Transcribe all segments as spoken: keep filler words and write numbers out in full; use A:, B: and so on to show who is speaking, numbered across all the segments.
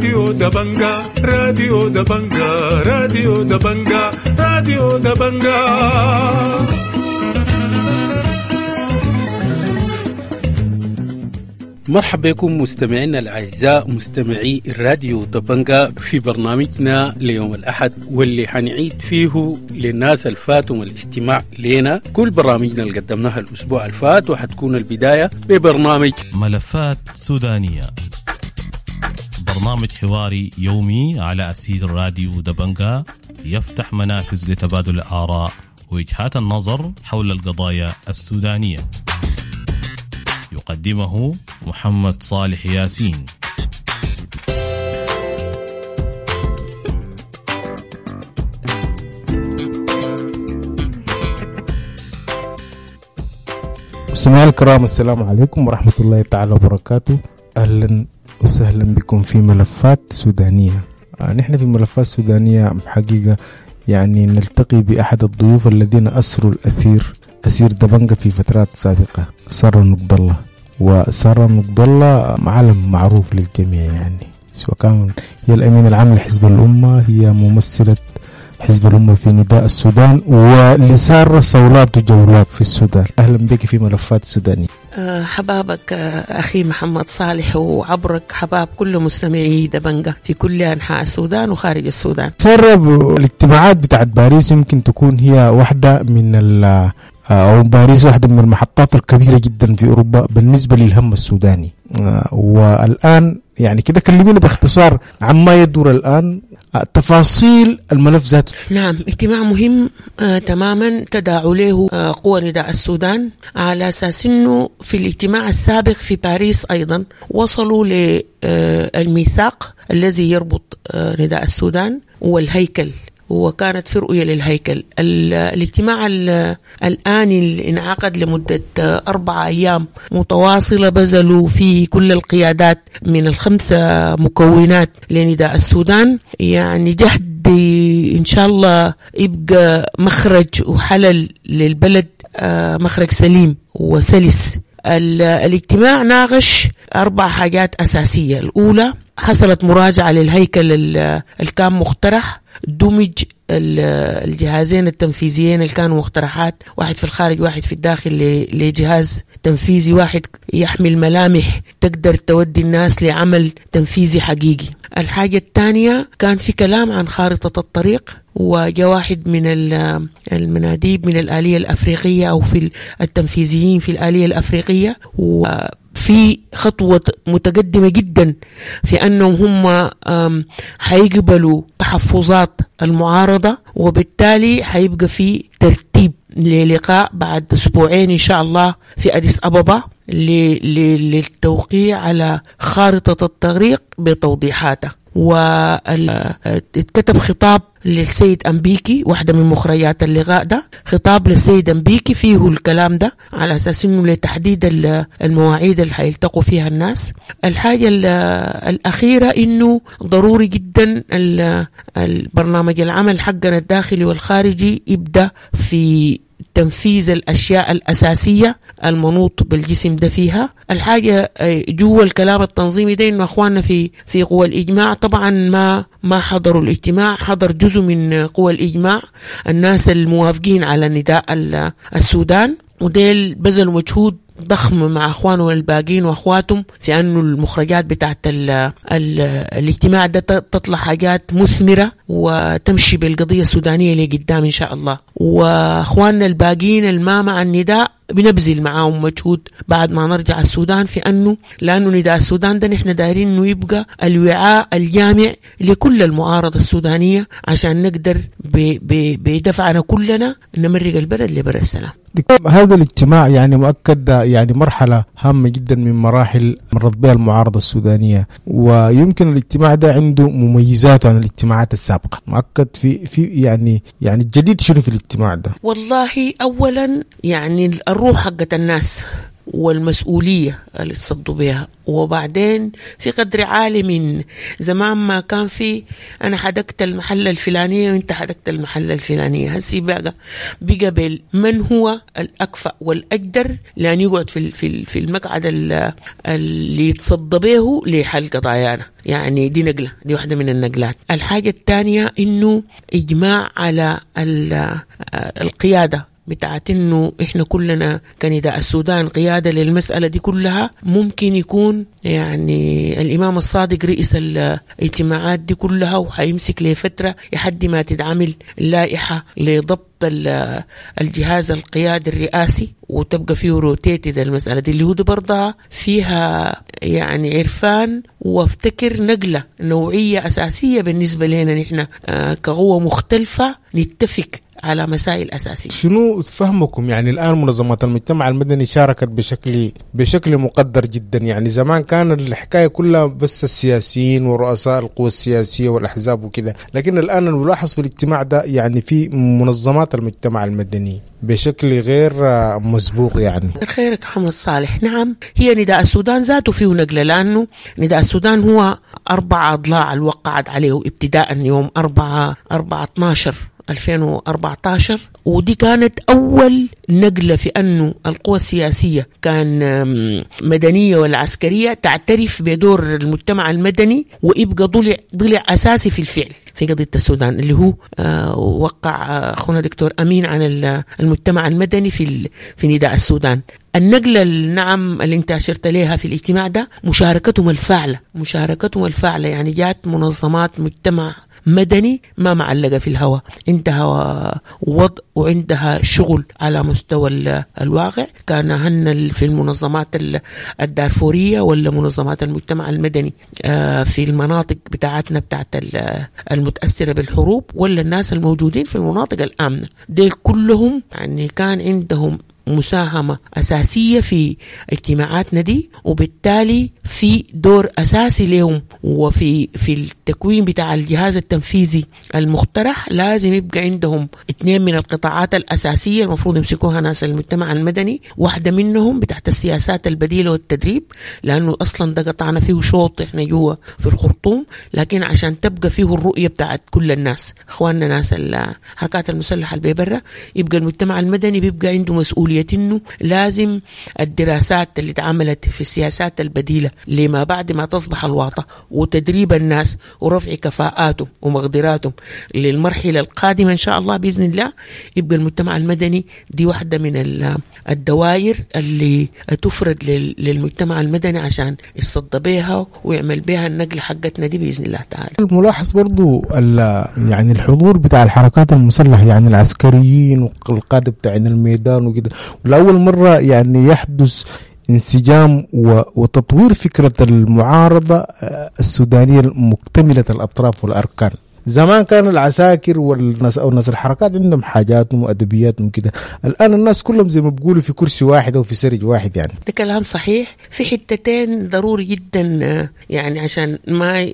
A: راديو دبنجا راديو دبنجا راديو دبنجا راديو دبنجا.
B: مرحبا بكم مستمعينا الأعزاء مستمعي الراديو دبنجا في برنامجنا ليوم الأحد، واللي حنعيد فيه للناس الفاتهم الاستماع لنا كل برامجنا اللي قدمناها الأسبوع الفات، وحتكون البداية ببرنامج
C: ملفات سودانية، برنامج حواري يومي على أسير راديو دبنجا يفتح منافذ لتبادل الآراء ووجهات النظر حول القضايا السودانية. يقدمه محمد صالح ياسين.
D: مستمعينا الكرام، السلام عليكم ورحمة الله تعالى وبركاته. أهلا وسهلا بكم في ملفات سودانية. نحن في ملفات سودانية حقيقة يعني نلتقي بأحد الضيوف الذين أسروا الأثير أسير دبنجا في فترات سابقة، سارة نقد الله. وسارة نقد الله معلم معروف للجميع، يعني سواء كان هي الأمين العام لحزب الأمة، هي ممثلة حزب الأمة في نداء السودان، ولسارة صولات وجولات في السودان. أهلا بك في ملفات سودانية.
E: حبابك أخي محمد صالح، وعبرك حباب كل مستمعي دبنجا في كل أنحاء السودان وخارج السودان.
D: سارة، الاجتماعات بتاعت باريس يمكن تكون هي واحدة من ال أو باريس واحدة من المحطات الكبيرة جدا في أوروبا بالنسبة للهم السوداني. والآن يعني كده كلمينا باختصار عما يدور الآن، تفاصيل الملف ذاته.
E: نعم، اجتماع مهم آه تماما تداعوا له آه قوى نداء السودان، على أساس أنه في الاجتماع السابق في باريس أيضا وصلوا للميثاق الذي يربط آه نداء السودان والهيكل، وكانت في رؤية للهيكل. الاجتماع الآني اللي انعقد لمدة أربعة أيام متواصلة بذلوا فيه كل القيادات من الخمسة مكونات لنداء السودان، يعني جهد إن شاء الله يبقى مخرج وحلل للبلد، مخرج سليم وسلس. الاجتماع ناقش أربع حاجات أساسية. الأولى، حصلت مراجعة للهيكل اللي كان مقترح، دمج الجهازين التنفيذيين اللي كانوا مقترحات، واحد في الخارج واحد في الداخل، لجهاز تنفيذي واحد يحمل ملامح تقدر تودي الناس لعمل تنفيذي حقيقي. الحاجة الثانية، كان في كلام عن خارطة الطريق، وجاء واحد من المناديب من الآلية الأفريقية أو في التنفيذيين في الآلية الأفريقية، و في خطوة متقدمة جدا في أنهم هم حيقبلوا تحفظات المعارضة، وبالتالي حيبقى في ترتيب للقاء بعد أسبوعين إن شاء الله في أديس أبابا للتوقيع على خارطة الطريق بتوضيحاتها. واتكتب خطاب للسيد أمبيكي، واحدة من مخرجات اللقاء ده خطاب للسيد أمبيكي فيه الكلام ده على أساس إنه لتحديد المواعيد اللي حيلتقوا فيها الناس. الحاجة الأخيرة إنه ضروري جدا البرنامج العمل حقنا الداخلي والخارجي يبدأ في تنفيذ الأشياء الأساسية المنوط بالجسم ده فيها. الحاجة جوا الكلام التنظيمي ده إنه أخواننا في في قوى الإجماع طبعا ما ما حضروا الاجتماع، حضر جزء من قوى الإجماع الناس الموافقين على نداء السودان، وديل بذلوا مجهود ضخم مع أخوانه الباقين وأخواتهم في أنه المخرجات بتاعت ال ال الاجتماع ده تطلع حاجات مثمرة وتمشي بالقضية السودانية لقدام إن شاء الله. وأخواننا الباقين الما مع النداء بنبذل معاهم مجهود بعد ما نرجع السودان في أنه لأنه نداء السودان ده نحن دايرين أنه يبقى الوعاء الجامع لكل المعارضة السودانية عشان نقدر بدفعنا كلنا نمرق البلد لبر السلام.
D: هذا الاجتماع يعني مؤكد يعني مرحلة هامة جدا من مراحل مرت بها المعارضة السودانية، ويمكن الاجتماع ده عنده مميزات عن الاجتماعات السابقة. مؤكد في في يعني يعني الجديد شنو في الاجتماع ده؟
E: والله أولا يعني الروح حقت الناس والمسؤولية اللي تصدوا بها. وبعدين في قدر عالي من زمان ما كان في أنا حدقت المحلة الفلانية وإنت حدقت المحلة الفلانية، هسي بقى بقى من هو الأكفأ والأقدر لأن يقعد في في في المقعد اللي يتصدى به لحل قضايانا. يعني دي نقلة، دي واحدة من النقلات. الحاجة الثانية إنه إجماع على القيادة بتاعت إنه إحنا كلنا كنداء السودان قيادة للمسألة دي كلها. ممكن يكون يعني الإمام الصادق رئيس الاجتماعات دي كلها وحيمسك لفترة لحد ما تتعمل لائحة لضبط الجهاز القيادي الرئاسي وتبقى فيه روتيتد المسألة دي اللي هو دي برضها فيها يعني عرفان، وافتكر نقلة نوعية أساسية بالنسبة لنا نحن كقوة مختلفة نتفق على مسائل أساسية.
D: شنو فهمكم يعني الآن منظمات المجتمع المدني شاركت بشكل بشكل مقدر جدا؟ يعني زمان كان الحكاية كلها بس السياسيين ورؤساء القوى السياسية والأحزاب وكذا، لكن الآن نلاحظ في الاجتماع ده يعني في منظمات المجتمع المدني بشكل غير مسبوق. يعني
E: خيرك محمد صالح. نعم، هي نداء السودان ذاته فيه نقلة، لأنه نداء السودان هو أربع أضلاع اللي وقعت عليه ابتداء يوم أربعة أربعة اثناشر ألفين وأربعة عشر، ودي كانت أول نقلة في أنه القوى السياسية كان مدنية ولا عسكرية تعترف بدور المجتمع المدني ويبقى ضلع ضلع أساسي في الفعل في قضية السودان، اللي هو وقع أخونا دكتور أمين عن المجتمع المدني في في نداء السودان. النقلة نعم اللي انت أشرت لها في الاجتماع ده مشاركتهم الفاعلة، مشاركتهم الفاعلة يعني جات منظمات مجتمع مدني ما معلقة في الهواء، عندها وضع وعندها شغل على مستوى الواقع. كان هن في المنظمات الدارفورية ولا منظمات المجتمع المدني في المناطق بتاعتنا بتاعت المتأثرة بالحروب ولا الناس الموجودين في المناطق الآمنة، ديل كلهم يعني كان عندهم مساهمة أساسية في اجتماعاتنا دي، وبالتالي في دور أساسي لهم. وفي في التكوين بتاع الجهاز التنفيذي المقترح لازم يبقى عندهم اثنين من القطاعات الأساسية المفروض يمسكوها ناس المجتمع المدني، واحدة منهم بتاعت السياسات البديلة والتدريب، لأنه أصلا ده قطعنا فيه شوط إحنا جوا في الخرطوم، لكن عشان تبقى فيه الرؤية بتاعت كل الناس إخواننا ناس الحركات المسلحة اللي برا، يبقى المجتمع المدني بيبقى عنده مسؤولية إنه لازم الدراسات اللي اتعملت في السياسات البديلة لما بعد ما تصبح الواطة وتدريب الناس ورفع كفاءاتهم ومقدراتهم للمرحلة القادمة إن شاء الله بإذن الله، يبقى المجتمع المدني دي واحدة من الدوائر اللي تفرد للمجتمع المدني عشان يتصدى بها ويعمل بها النقل حقتنا دي بإذن الله تعالى.
D: الملاحظ برضو يعني الحضور بتاع الحركات المسلحة، يعني العسكريين والقادة بتاع الميدان وكده، ولأول مرة يعني يحدث انسجام وتطوير فكرة المعارضة السودانية المكتملة الأطراف والأركان. زمان كان العساكر والناس أو الناس الحركات عندهم حاجاتهم وأدبياتهم كده، الآن الناس كلهم زي ما بيقولوا في كرسي واحد أو في سرج واحد. يعني
E: ده كلام صحيح في حتتين ضروري جدا، يعني عشان ما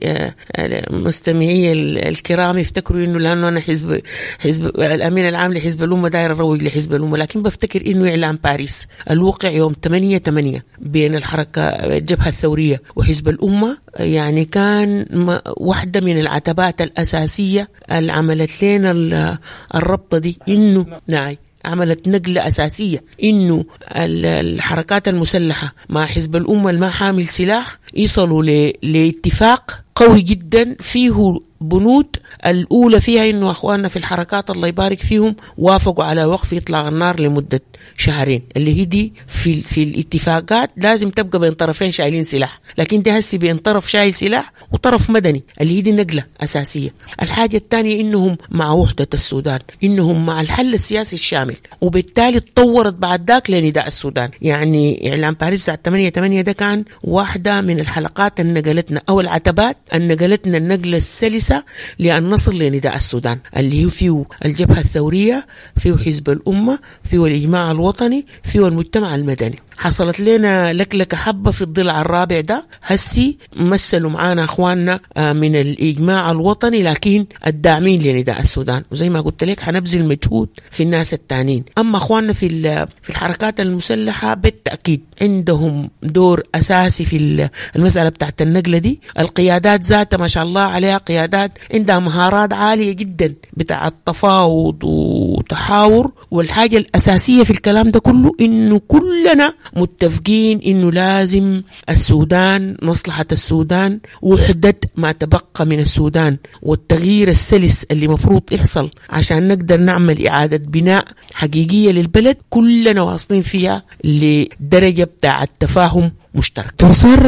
E: مستمعي الكرام يفتكروا إنه لأنه أنا حزب حزب الأمين العام لحزب الأمة داير أروج لحزب الأمة، لكن بفتكر إنه إعلان باريس الوقع يوم ثمانية ثمانية بين الحركة الجبهة الثورية وحزب الأمة يعني كان واحدة من العتبات الأساسية اللي عملت لنا الربطة دي، إنه نعم عملت نقلة أساسية إنه الحركات المسلحة مع حزب الأمة ما حامل سلاح يصلوا لاتفاق قوي جدا فيه بنود. الأولى فيها إنه أخواننا في الحركات الله يبارك فيهم وافقوا على وقف إطلاق النار لمدة شهرين، اللي هي دي في, في الاتفاقات لازم تبقى بين طرفين شايلين سلاح، لكن دي هسي بين طرف شايل سلاح وطرف مدني، اللي هي دي نقلة أساسية. الحاجة الثانية إنهم مع وحدة السودان، إنهم مع الحل السياسي الشامل، وبالتالي تطورت بعد ذاك لنداء السودان. يعني إعلان باريس بتاع ثمانية ثمانية ده كان واحدة من الحلقات اللي نقلتنا أو العتبات اللي نقلتنا النقلة السلسة لأن نصل لنداء السودان اللي هو فيه الجبهة الثورية، فيه حزب الأمة، فيه الإجماع الوطني، فيه المجتمع المدني. حصلت لنا لكلكة حبة في الضلع الرابع ده. هسي مثلوا معانا أخواننا من الإجماع الوطني لكن الداعمين لنداء السودان، وزي ما قلت لك حنبذل مجهود في الناس التانيين. أما أخواننا في في الحركات المسلحة بالتأكيد عندهم دور أساسي في المسألة بتاعت النقلة دي. القيادات ذاتها ما شاء الله عليها قيادات عندها مهارات عالية جدا بتاع التفاوض وتحاور. والحاجة الأساسية في الكلام ده كله إنه كلنا متفقين إنه لازم السودان، مصلحة السودان، وحدة ما تبقى من السودان، والتغيير السلس اللي مفروض يحصل عشان نقدر نعمل إعادة بناء حقيقية للبلد، كلنا واصلين فيها لدرجة بتاع التفاهم مشترك.
D: ترسار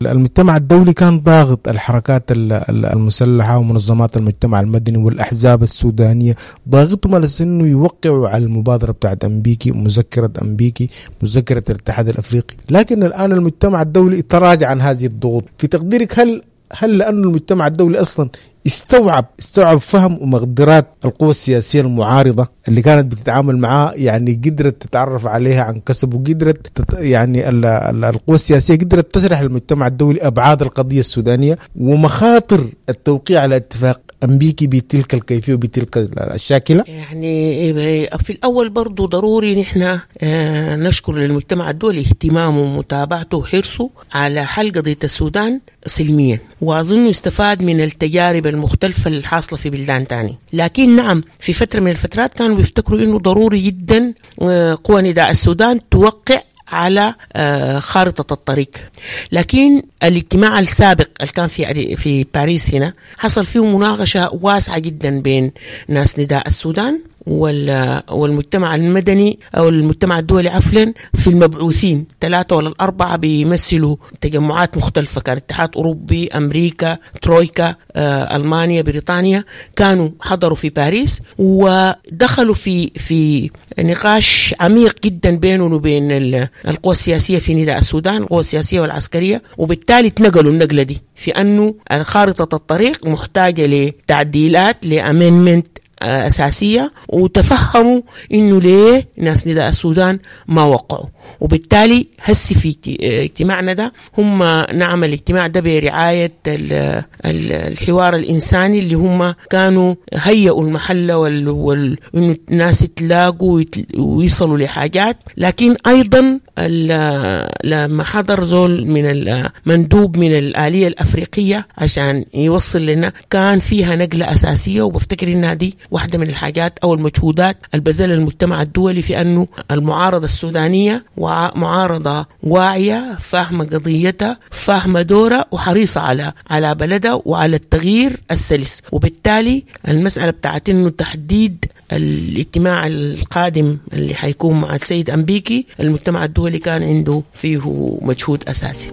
D: المجتمع الدولي كان ضاغط الحركات المسلحة ومنظمات المجتمع المدني والأحزاب السودانية، ضاغطهم على أنه يوقعوا على المبادرة بتاعت أمبيكي، مذكرة أمبيكي، مذكرة الاتحاد الأفريقي. لكن الآن المجتمع الدولي تراجع عن هذه الضغوط. في تقديرك هل هل لأن المجتمع الدولي أصلا استوعب استوعب فهم ومقدرات القوى السياسية المعارضة اللي كانت بتتعامل معاه، يعني قدرت تتعرف عليها عن كسب، وقدرت تت يعني القوى السياسية قدرت تشرح للمجتمع الدولي أبعاد القضية السودانية ومخاطر التوقيع على اتفاق أمبيكي بتلك الكيفية وبتلك الشاكلة؟
E: يعني في الأول برضو ضروري نحن نشكر للمجتمع الدولي اهتمامه ومتابعته وحرصه على حل قضية السودان سلميا، وأظن استفاد من التجارب المختلفة الحاصلة في بلدان تاني. لكن نعم في فترة من الفترات كانوا بيفتكروا إنه ضروري جدا قوى نداء السودان توقع على خارطة الطريق. لكن الاجتماع السابق اللي كان في في باريس هنا حصل فيه مناقشة واسعة جدا بين ناس نداء السودان والمجتمع المدني أو المجتمع الدولي عفوا، في المبعوثين ثلاثة ولا الأربعة بيمثلوا تجمعات مختلفة، كان اتحاد أوروبي، أمريكا، ترويكا، آه، ألمانيا، بريطانيا، كانوا حضروا في باريس ودخلوا في في نقاش عميق جدا بينهم وبين القوى السياسية في نداء السودان، القوى السياسية والعسكرية، وبالتالي تنقلوا النقلة دي في أنه خارطة الطريق محتاجة لتعديلات، لأمنمنت أساسية، وتفهموا إنه ليه ناس نداء السودان ما وقعوا. وبالتالي هسي في اجتماعنا ده هم نعمل الاجتماع ده برعاية الحوار الإنساني اللي هم كانوا هيئوا المحل وال... وال... إنه الناس يتلاقوا ويصلوا لحاجات. لكن أيضا لما حضر زول من المندوب من الآلية الأفريقية عشان يوصل لنا كان فيها نقلة أساسية، وبفتكر إنها دي واحدة من الحاجات أو المجهودات البذل المجتمع الدولي في أنه المعارضة السودانية ومعارضة واعية، فاهمة قضيتها، فاهمة دورها، وحريصة على على بلدها وعلى التغيير السلس. وبالتالي المسألة بتاعت إنه تحديد الاجتماع القادم اللي حيكون مع السيد أمبيكي، المجتمع الدولي كان عنده فيه مجهود أساسي.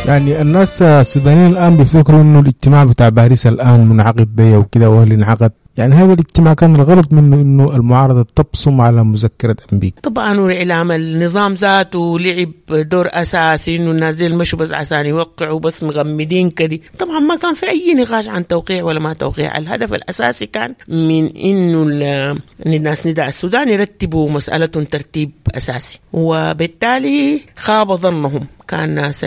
D: يعني الناس السودانيين الآن بيفتكروا إنه الاجتماع بتاع باريس الآن منعقد ده وكده وهل انعقد، يعني هذا الاجتماع كان الغلط منه إنه المعارضة تبصم على مذكرة أمبيكي.
E: طبعا وإعلام النظام ذاته لعب دور أساسي إنه الناس مشوا بس عشان يوقعوا بس مغمدين كده. طبعا ما كان في أي نقاش عن توقيع ولا ما توقيع، الهدف الأساسي كان من إنه الناس نداء السودان يرتبوا مسألة ترتيب أساسي، وبالتالي خاب ظنهم. كان ناس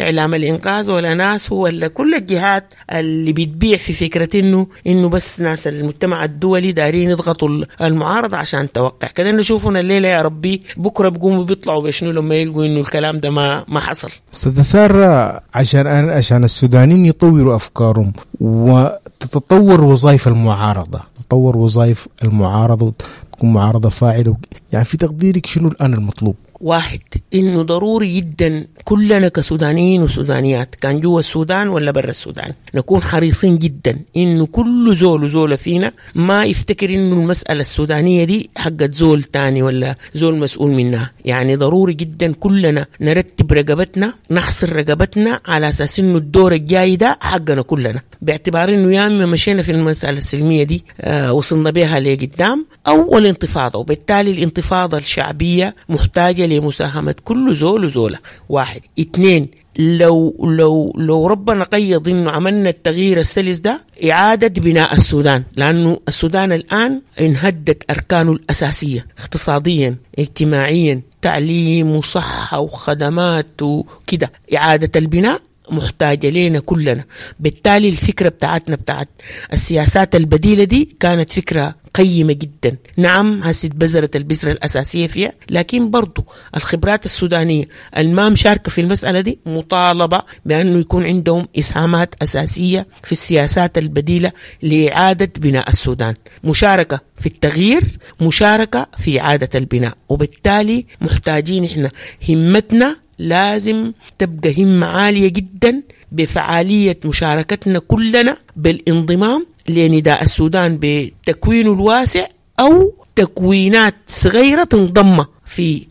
E: اعلام الانقاذ ولا ناس ولا كل الجهات اللي بتبيع في فكرة انه انه بس ناس المجتمع الدولي دارين يضغطوا المعارضة عشان توقع كده. نشوفنا الليلة يا ربي بكره بيقوموا بيطلعوا بشنو لما يلقوا انه الكلام ده ما ما حصل.
D: استاذه ساره، عشان عشان السودانيين يطوروا افكارهم وتتطور وظائف المعارضة، تتطور وظائف المعارضة وتكون معارضة فاعله، يعني في تقديرك شنو الان المطلوب؟
E: واحد، إنه ضروري جدا كلنا كسودانيين وسودانيات كان جوا السودان ولا برا السودان نكون حريصين جدا إنه كل زول وزولة فينا ما يفتكر إنه المسألة السودانية دي حقت زول تاني ولا زول مسؤول منها. يعني ضروري جدا كلنا نرتب رقبتنا، نحصر رقبتنا على أساس إنه الدور الجاي ده حقنا كلنا، باعتبار إنه يا إما مشينا في المسألة السلمية دي آه وصلنا بها لقدام أو الانتفاضة، وبالتالي الانتفاضة الشعبية محتاجة لمساهمة كل زول وزولة. واحد. اثنين، لو لو لو ربنا قيض انه عملنا التغيير السلس ده، اعادة بناء السودان، لانه السودان الان انهدت اركانه الاساسية اقتصاديا اجتماعيا، تعليم وصحة وخدمات وكده. اعادة البناء محتاجة لنا كلنا. بالتالي الفكرة بتاعتنا بتاعت السياسات البديلة دي كانت فكرة قيمة جدا. نعم هسه بذرت البذرة الأساسية فيها، لكن برضو الخبرات السودانية الما مشاركة في المسألة دي مطالبة بأنه يكون عندهم إسهامات أساسية في السياسات البديلة لإعادة بناء السودان، مشاركة في التغيير، مشاركة في إعادة البناء. وبالتالي محتاجين إحنا همتنا لازم تبقى همة عالية جدا بفعالية مشاركتنا كلنا بالانضمام لنداء السودان بتكوينه الواسع أو تكوينات صغيرة تنضم في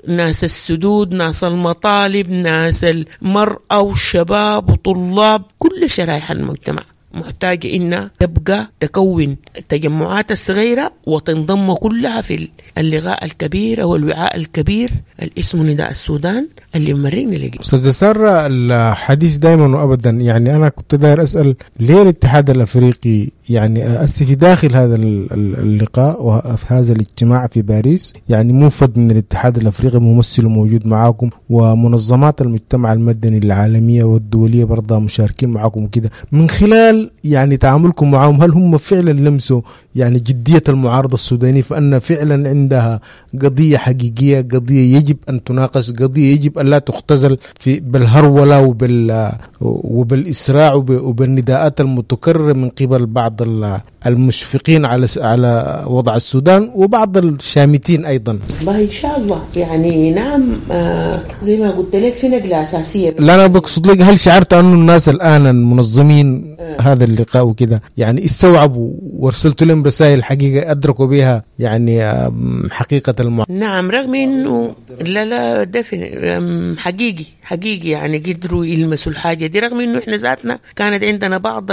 E: ناس السدود، ناس المطالب، ناس المرأة والشباب وطلاب، كل شرائح المجتمع محتاجة إنها تبقى تكون التجمعات الصغيرة وتنضم كلها في اللغاء الكبير أو الوعاء الكبير الاسم نداء السودان اللي مرينا لقي.
D: أستاذ سارة، الحديث دائما وأبدا، يعني أنا كنت داير أسأل ليه الاتحاد الأفريقي يعني أسي في داخل هذا اللقاء وفي هذا الاجتماع في باريس، يعني موفد من الاتحاد الأفريقي ممثل موجود معاكم، ومنظمات المجتمع المدني العالمية والدولية برضه مشاركين معاكم وكده، من خلال يعني تعاملكم معهم هل هم فعلا لمسوا يعني جدية المعارضة السودانية فأن فعلا عندها قضية حقيقية، قضية يجب أن تناقش، قضية يجب أن لا تختزل في بالهرولة وبال وبالإسراع وبالنداءات المتكررة من قبل بعض المشفقين على على وضع السودان وبعض الشامتين أيضا؟
E: والله إن شاء الله يعني نعم، آه زي ما قلت لك في نقلة أساسية.
D: لا أنا بقصد لك، هل شعرت أنه الناس الآن المنظمين آه. هذا اللقاء وكذا يعني استوعبوا وارسلت لهم رسائل حقيقة أدركوا بها يعني حقيقة المع...
E: نعم، رغم أنه لا لا ده حقيقي حقيقي يعني قدروا يلمسوا الحاجة دي، رغم أنه إحنا ذاتنا كانت عندنا بعض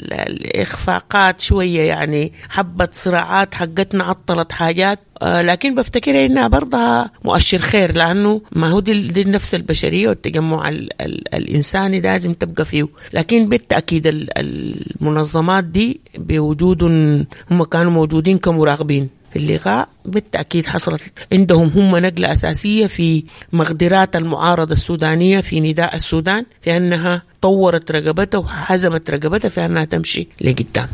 E: الإخفاقات شوية، يعني حبة صراعات حقتنا عطلت حاجات، آه لكن بفتكر إنها برضها مؤشر خير، لأنه ما هو دي, دي النفس البشرية والتجمع ال ال الإنساني لازم تبقى فيه. لكن بالتأكيد المنظمات دي بوجودهم، هم كانوا موجودين كمراقبين في اللقاء، بالتأكيد حصلت عندهم هم نقلة أساسية في مقدرات المعارضة السودانية في نداء السودان، في أنها طورت رقبتها وحزمت رقبتها في أنها تمشي لقدام.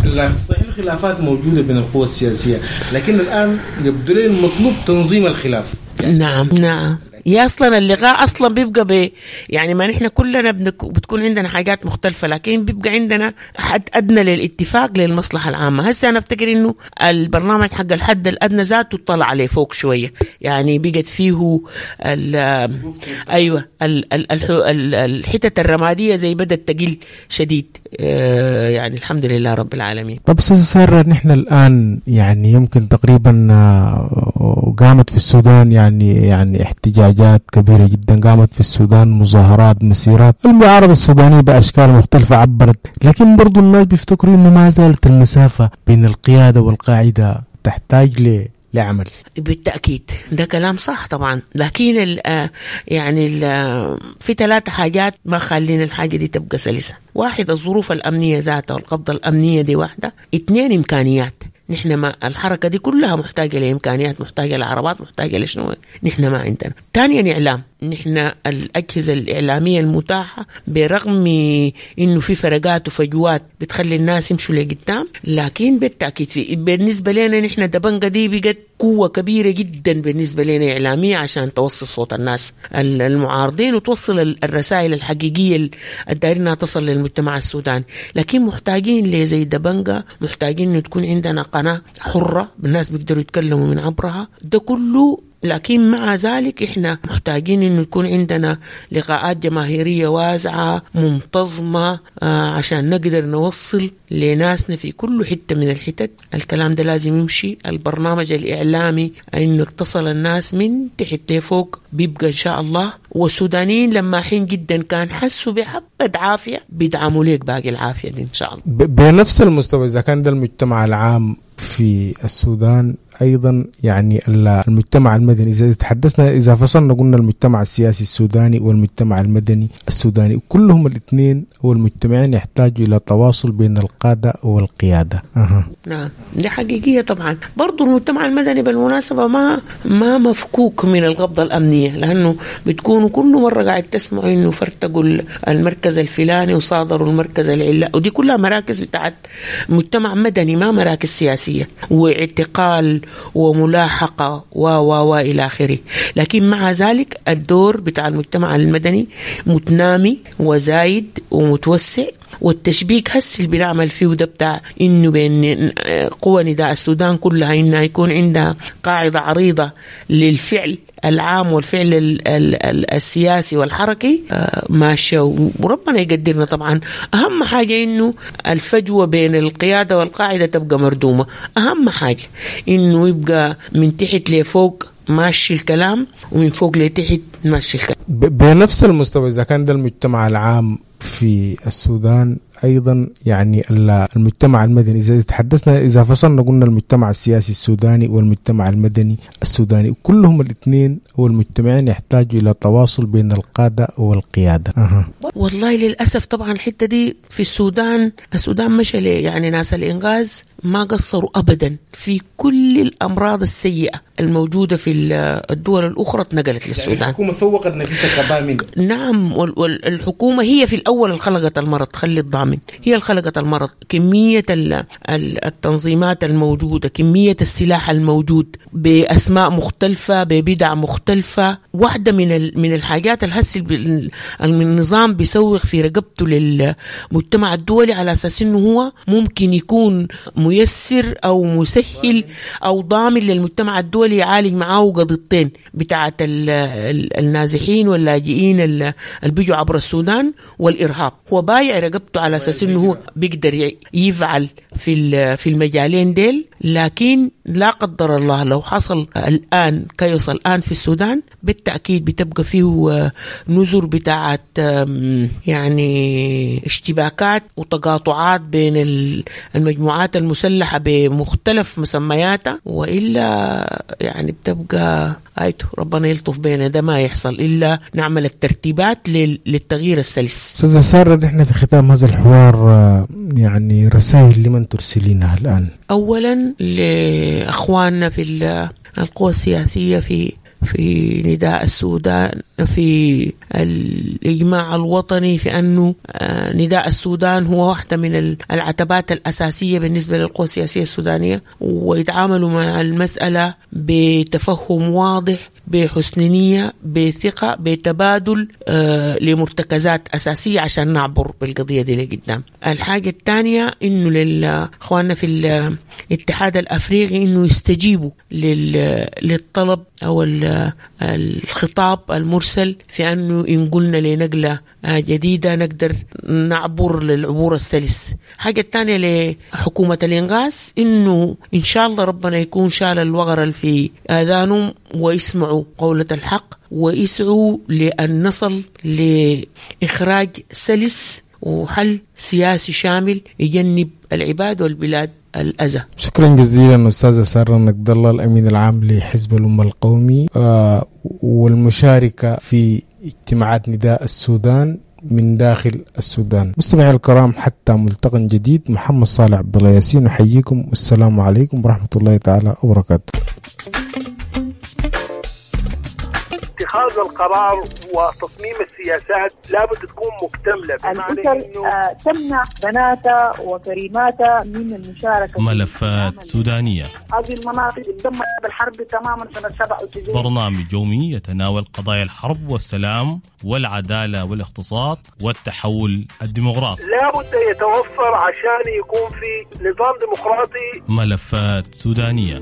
D: لا صحيح الخلافات موجودة بين القوى السياسية، لكن الآن يبدو لي المطلوب تنظيم الخلاف.
E: نعم نعم، يا أصلا اللقاء أصلا بيبقى ب يعني ما نحن كلنا بنك... بتكون عندنا حاجات مختلفة، لكن بيبقى عندنا حد أدنى للاتفاق للمصلحة العامة. هسه أنا أفتكر إنه البرنامج حق الحد الأدنى ذاته طلع عليه فوق شوية، يعني بقت فيه ال... أيوة ال... ال... ال... الحتة الرمادية زي بدأت تقل شديد، يعني الحمد لله رب العالمين.
D: طب أستاذ سارة، نحن الآن يعني يمكن تقريبا قامت في السودان يعني يعني احتجاجات كبيرة جدا، قامت في السودان مظاهرات، مسيرات، المعارضة السودانية بأشكال مختلفة عبرت، لكن برضو الناس بيفتكروا إنه ما زالت المسافة بين القيادة والقاعدة تحتاج ل لعمل.
E: بالتأكيد ده كلام صح طبعا، لكن ال يعني ال في ثلاثة حاجات ما خلينا الحاجة دي تبقى سلسة. واحد، الظروف الأمنية ذاتها والقبضة الأمنية دي واحدة. اثنين، إمكانيات. نحن ما الحركة دي كلها محتاجة لإمكانيات، محتاجة لعربات، محتاجة لشنو، نحن ما عندنا. ثانيا، إعلام. نحن الأجهزة الإعلامية المتاحة برغم إنه في فرقات وفجوات بتخلي الناس يمشوا لقدام، لكن بالتأكيد في بالنسبة لنا نحن دبنجة دي بقت قوة كبيرة جدا بالنسبة لنا إعلامية عشان توصل صوت الناس المعارضين وتوصل الرسائل الحقيقية الدايرينها تصل للمجتمع السوداني. لكن محتاجين لزي دبنجة، محتاجين إنه تكون عندنا قناة حرة الناس بيقدروا يتكلموا من عبرها، ده كله. لكن مع ذلك إحنا محتاجين إنه يكون عندنا لقاءات جماهيرية واسعة منتظمة آه عشان نقدر نوصل لناسنا في كل حتة من الحتت. الكلام ده لازم يمشي، البرنامج الإعلامي إنه تصل الناس من تحت لفوق بيبقى إن شاء الله. والسودانيين لما حين جدا كان حسوا بحبة عافية بيدعموا ليك باقي العافية دي إن شاء الله.
D: بنفس المستوى إذا كان ده المجتمع العام في السودان، أيضا يعني المجتمع المدني، إذا تحدثنا إذا فصلنا قلنا المجتمع السياسي السوداني والمجتمع المدني السوداني، كلهم الاثنين والمجتمعين يحتاجوا إلى تواصل بين القادة والقيادة. أه.
E: نعم دي حقيقية طبعا. برضو المجتمع المدني بالمناسبة ما ما مفكوك من القبضة الأمنية، لأنه بتكونوا كل مرة قاعد تسمعوا إنه فرتقوا المركز الفلاني وصادروا المركز العلا، ودي كلها مراكز بتاعت مجتمع مدني ما مراكز سياسية، واعتقال وملاحقة و و و إلى آخره. لكن مع ذلك الدور بتاع المجتمع المدني متنامي وزايد ومتوسع، والتشبيك هسه اللي بنعمل فيه ده بتاع إنه بين قوى نداء السودان كلها إنها يكون عندها قاعدة عريضة للفعل العام والفعل ال ال السياسي والحركي ماشية، وربنا يقدرنا. طبعا أهم حاجة إنه الفجوة بين القيادة والقاعدة تبقى مردومة، أهم حاجة إنه يبقى من تحت لفوق ماشي الكلام ومن فوق لتحت ماشي الكلام.
D: بنفس المستوى إذا كان ده المجتمع العام في السودان، أيضا يعني المجتمع المدني، إذا تحدثنا إذا فصلنا قلنا المجتمع السياسي السوداني والمجتمع المدني السوداني، كلهم الاثنين والمجتمعين يحتاجوا إلى تواصل بين القادة والقيادة. أه.
E: والله للأسف طبعا الحتة دي في السودان، السودان مشى ليه يعني ناس الإنغاز ما قصروا أبدا في كل الأمراض السيئة الموجودة في الدول الأخرى اتنقلت للسودان.
D: يعني الحكومة سوقت نفسها كبامن.
E: نعم، والحكومة هي في الأول اللي خلقت المرض، خلي الضامن هي اللي خلقت المرض. كمية التنظيمات الموجودة، كمية السلاح الموجود بأسماء مختلفة ببدع مختلفة. واحدة من من الحاجات الهس النظام بيسوق في رقبته للمجتمع الدولي على أساس إنه هو ممكن يكون ميسر أو مسهل أو ضامن للمجتمع الدولي يعالج معاه قضيتين بتاعة النازحين واللاجئين اللي بيجوا عبر السودان والإرهاب. هو بايع رقبته على أساس إنه هو بيقدر يفعل في في المجالين ديل، لكن لا قدر الله لو حصل الآن كيوصل الآن في السودان بالتأكيد بتبقى فيه نزر بتاعة يعني اشتباكات وتقاطعات بين المجموعات المسلحة بمختلف مسمياتها، وإلا يعني بتبقى آيته ربنا يلطف بينا، ده ما يحصل إلا نعمل الترتيبات للتغيير السلس.
D: أستاذة سارة، نحن في ختام هذا الحوار يعني رسائل لمن ترسلينها الآن؟
E: أولا لأخواننا في القوى السياسية في في نداء السودان، في الإجماع الوطني، في أنه نداء السودان هو واحدة من العتبات الأساسية بالنسبة للقوى السياسية السودانية، ويتعاملوا مع المسألة بتفهم واضح، بحسن نية، بثقة، بتبادل لمرتكزات أساسية عشان نعبر بالقضية دي لقدام. الحاجة الثانية إنه للإخواننا في الاتحاد الأفريقي إنه يستجيبوا للطلب أو الخطاب المرسل في أنه إن قلنا لنقلة جديدة نقدر نعبر للعبور السلس. حاجة الثانية لحكومة الإنغاز إنه إن شاء الله ربنا يكون شال الوغر في آذانهم ويسمعوا قولة الحق ويسعوا لأن نصل لإخراج سلس وحل سياسي شامل يجنب العباد والبلاد الأذى.
D: شكرا جزيلا أستاذة سارة نقد الله، الأمين العام لحزب الأمة القومي آه والمشاركة في اجتماعات نداء السودان من داخل السودان. مستمعي الكرام، حتى ملتقى جديد، محمد صالح عبد الله ياسين أحييكم، والسلام عليكم ورحمة الله تعالى وبركاته.
F: اتخاذ القرار وتصميم السياسات لابد تكون مكتملة.
G: الأسر تمنع بناتها وكريماتها من المشاركة.
C: ملفات سودانية.
G: هذه المناطق تدمرت بالحرب تماما سنة سبعة وتسعين.
C: برنامج يومي يتناول قضايا الحرب والسلام والعدالة والاقتصاد والتحول الديمقراطي.
F: لابد يتوفر عشان يكون في نظام ديمقراطي.
C: ملفات سودانية.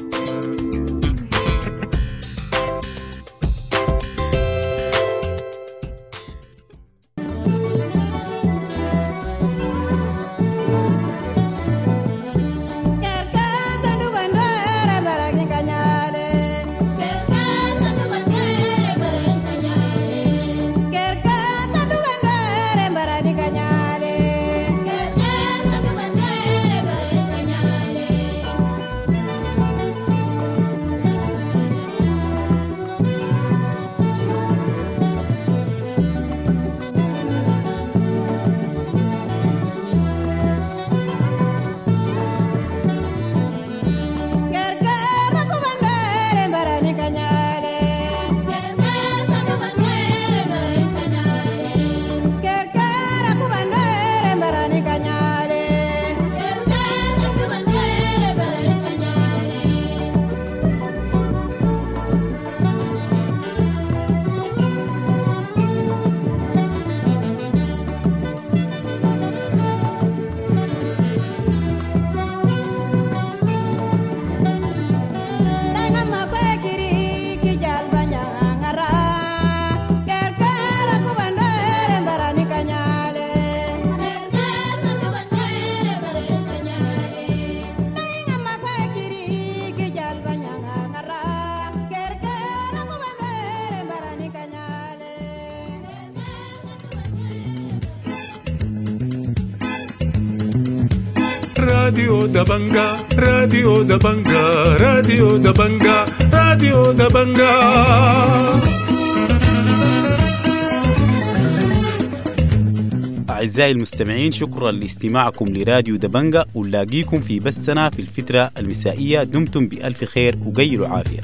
A: راديو دبنجا، راديو دبنجا، راديو دبنجا، راديو دبنجا.
H: أعزائي المستمعين، شكرا لاستماعكم لراديو دبنجا، ونلاقيكم في بثنا في الفترة المسائية. دمتم بألف خير وقيلوا عافية.